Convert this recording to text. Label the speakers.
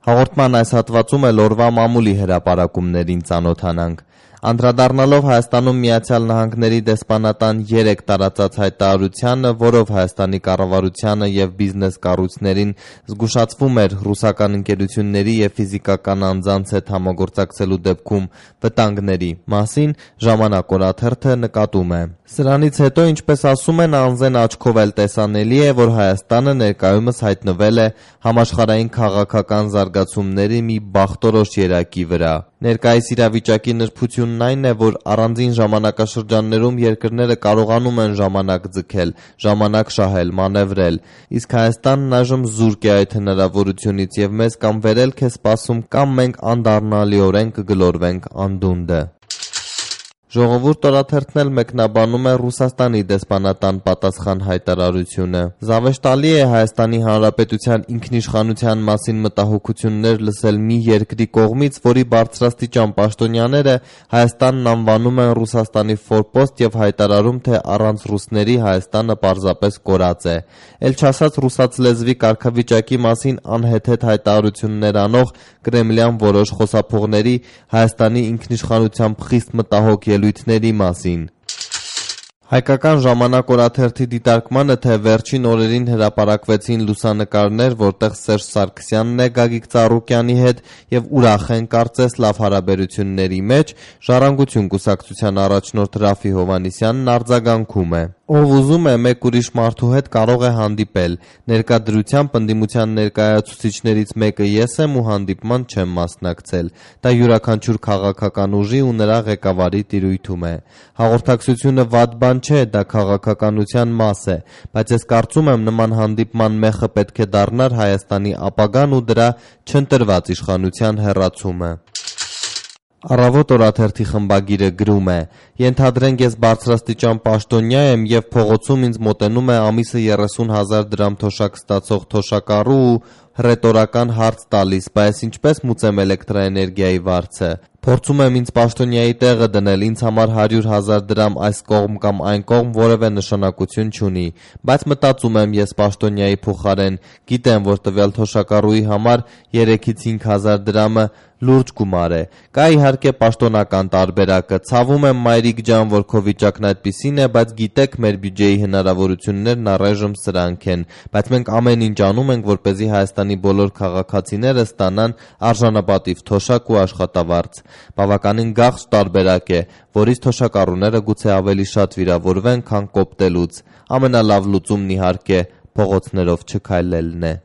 Speaker 1: Հաղորդման այս հատվածում էլ օրվա մամուլի հրապարակումներին ծանոթանանք։ Անդրադառնալով Հայաստանում Միացյալ Նահանգների դեսպանատան 3 տարածած հայտարարությանը, որով Հայաստանի կառավարությանը և բիզնես կառույցներին զգուշացվում էր ռուսական ընկերությունների և ֆիզիկական անձանց հետ համագործակցելու դեպքում վտանգների մասին, Ժամանակ օրաթերթը նկատում է. Սրանից հետո, ինչպես ասում են, անզեն աչքով էլ տեսանելի է, որ Հայաստանը ներկայումս հայտնվել է համաշխարհային քաղաքական զարգացումների մի բախտորոշ երակի վրա։ Ներկայիս իրավիճակի նրբությունն այն է, որ առանձին ժամանակաշրջաններում երկրները կարողանում են ժամանակ ձգել, ժամանակ շահել, մանևրել, իսկ Հայաստանն այժմ զուրկ է այդ հնարավորությունից և մեզ կամ վերելք է սպասում, կամ մենք անդառնալիորեն կգլորվենք անդունդը։ Ժողովուրդ օրաթերթն էլ մեկնաբանում է Ռուսաստանի դեսպանատան պատասխան հայտարարությունը։ Զավեշտալի է Հայաստանի Հանրապետության ինքնիշխանության մասին մտահոգություններ լսել մի երկրի կողմից, որի բարձրաստիճան պաշտոնյաները Հայաստանն անվանում են Ռուսաստանի ֆորպոստ և հայտարարում, թե առանց ռուսների Հայաստանը պարզապես կորած է։ Էլ չասած ռուսաց լեզվի կարգավիճակի մասին անհեթեթ հայտարարություններ անող կրեմլյան որոշ խոսափողների Հայաստանի ինքնիշխանությամբ խիստ մտահոգ ելույթների մասին։ Հայկական ժամանակ օրաթերթի դիտարկմանը, թե վերջին օրերին հրապարակվեցին լուսանկարներ, որտեղ Սերժ Սարգսյանն է Գագիկ Ծառուկյանի հետ և ուրախ են կարծես լավ հարաբերությունների մեջ, Ժառանգություն կուսակցության առաջնորդ Րաֆֆի Հովհաննիսյանն արձագանքում է. Ով ուզում է մեկ ուրիշ մարդու հետ կարող է հանդիպել, ներկա դրությամբ ընդդիմության ներկայացուցիչներից մեկը ես եմ ու հանդիպման չեմ մասնակցել, դա յուրաքանչյուր քաղաքական ուժի ու նրա ղեկավարի տիրույթում է։ Հաղորդակցությունը վատ բան չէ, դա քաղաքականության մաս է, բայց ես կարծում եմ նման հանդիպման մեխը պետք է դառնար Հայաստանի ապագան ու դրա չընտրված իշխանության հեռացումը։ Առավոտ օրաթերթի խմբագիրը գրում է. «Ենթադրենք ես բարձրաստիճան պաշտոնյա եմ և փողոցում ինձ մոտենում է ամիսը 30,000 դրամ թոշակ ստացող թոշակառու ու հռետորական հարց տալիս՝ բա ես ինչպես մուծեմ էլեկտրաէներգիայի վարձը։ Փորձում եմ ինձ պաշտոնյայի տեղը դնել, ինձ համար 100,000 դրամ այս կողմ կամ այն կողմ որևէ նշանակություն չունի, բայց մտածում եմ ես պաշտոնյայի փոխարեն, գիտեմ, որ տվյալ թոշակառուի համար 3-ից 5,000 դրամը լուրջ գումար է։ Կա իհարկե պաշտոնական տարբերակը, ցավում եմ մայրիկ ջան, որ քո վիճակն այդպիսին է, բայց գիտեք մեր բյուջեի հնարավորություններն առայժմ սրանք են, բայց մենք ամեն ինչ անում ենք, որպեսզի Հայաստանի բոլոր քաղաքացիները ստանան արժանապատիվ թոշակ ու աշխատավարձ։ Բավականին գաղթ տարբերակ է, որից թոշակառուները գուցե ավելի շատ վիրավորվեն, քան կոպտելուց։ Ամենալավ լուծումն իհարկե փողոցներով չքայլելն է»։